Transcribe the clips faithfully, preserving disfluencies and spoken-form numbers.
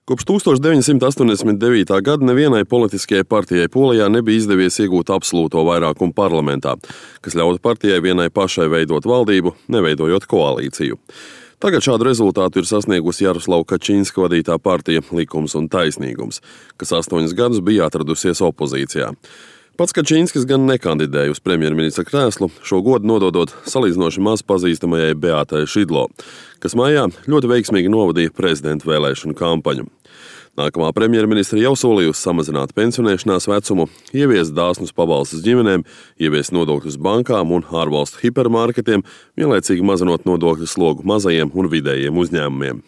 Kopš tūkstoš deviņsimt astoņdesmit devītā gada nevienai politiskajai partijai Polijā nebija izdevies iegūt absolūto vairākumu parlamentā, kas ļautu partijai vienai pašai veidot valdību, neveidojot koalīciju. Tagad šādu rezultātu ir sasniegusi Jaroslava Kačinska vadītā partija Likums un taisnīgums, kas astoņus gadus bija atradusies opozīcijā. Pats Kačinskis gan nekandidēja uz premjerministra krēslu, šo godu nododot salīdzinoši maz pazīstamajai Beatai Šidlo, kas maijā ļoti veiksmīgi novadīja prezidenta vēlēšanu kampaņu. Nākamā premjerministra jau solījusi samazināt pensionēšanās vecumu, ieviest dāsnus pabalstus ģimenēm, ieviest nodokļus bankām un ārvalstu hipermarketiem, vienlaicīgi mazinot nodokļu slogu mazajiem un vidējiem uzņēmumiem.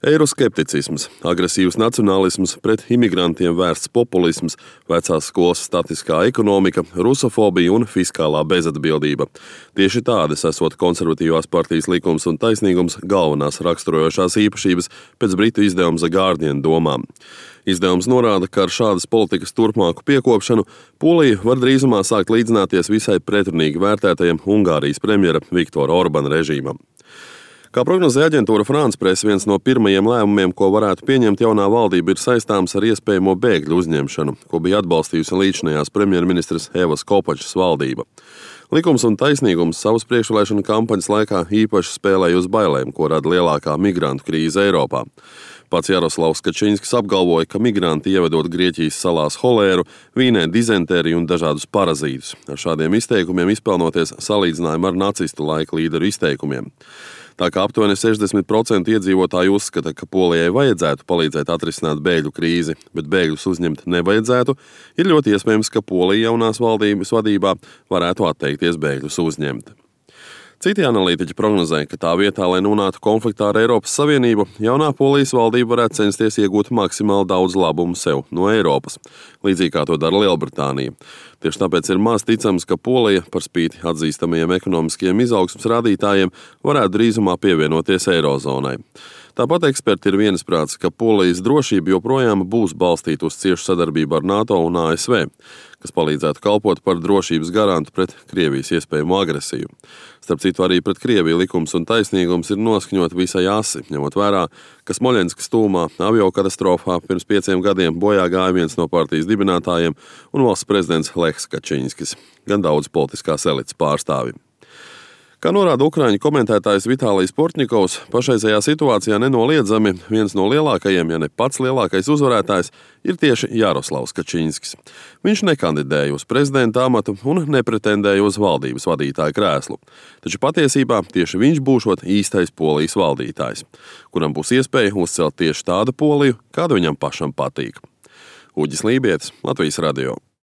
Eiroskepticisms, agresīvs nacionālisms, pret imigrantiem vērsts populisms, vecās skolas statiskā ekonomika, rusofobija un fiskālā bezatbildība. Tieši tādas esot konservatīvās partijas Likums un taisnīgums galvenās raksturojošās īpašības pēc britu izdevuma The Guardian domām. Izdevums norāda, ka ar šādas politikas turpmāku piekopšanu Polija var drīzumā sākt līdzināties visai pretrunīgi vērtētajam Ungārijas premjera Viktora Orbana režīmam. Kā prognozēja aģentūra France Press, viens no pirmajiem lēmumiem, ko varētu pieņemt jaunā valdība, ir saistāms ar iespējamo bēgļu uzņemšanu, ko bija atbalstījusi līdzinājās premjerministres Evas Kopačas valdība. Likums un taisnīgums savas priekšvēlēšanu kampaņas laikā īpaši spēlēja uz bailēm, ko rada lielākā migrantu krīze Eiropā. Pats Jaroslavs Kačinskis apgalvoja, ka migranti ievedot Grieķijas salās holēru, vīnē dizentēriju un dažādus parazītus. Ar šādiem izteikumiem izpelnoties salīdzinājumu ar nacistu laika līderu izteikumiem. Tā kā aptuveni sešdesmit procenti iedzīvotāji uzskata, ka Polijai vajadzētu palīdzēt atrisināt bēgļu krīzi, bet bēgļus uzņemt nevajadzētu, ir ļoti iespējams, ka Polija jaunās valdības vadībā varētu atteikties bēgļus uzņemt. Citi analītiķi prognozē, ka tā vietā, lai nonāktu konfliktā ar Eiropas Savienību, jaunā Polijas valdība varētu censties iegūt maksimāli daudz labumu sev no Eiropas, līdzīgi kā to dara Lielbritānija. Tieši tāpēc ir maz ticams, ka Polija, par spīti atzīstamajiem ekonomiskajiem izaugsmes rādītājiem, varētu drīzumā pievienoties Eirozonai. Tāpat eksperti ir vienisprātis, ka Polijas drošība joprojām būs balstīta uz ciešu sadarbību ar NATO un A S V, kas palīdzētu kalpot par drošības garantu pret Krievijas iespējamo agresiju. Starp citu, arī pret Krieviju Likums un taisnīgums ir noskaņot visai asi, ņemot vērā, ka Smoļenskas tūmā aviokatastrofā pirms pieciem gadiem bojā gāja viens no partijas dibinātājiem un valsts prezidents Lechs Kačinskis, gan daudz politiskās elites pārstāvi. Kā norāda ukraiņu komentētājs Vitālijs Portņikovs, pašreizējā situācijā nenoliedzami viens no lielākajiem, ja ne pats lielākais uzvarētājs, ir tieši Jaroslavs Kačinskis. Viņš nekandidēja uz prezidenta amatu un nepretendēja uz valdības vadītāja krēslu. Taču patiesībā tieši viņš būšot īstais Polijas valdītājs, kuram būs iespēja uzcelt tieši tādu Poliju, kāda viņam pašam patīk. Uģis Lībietis, Latvijas radio.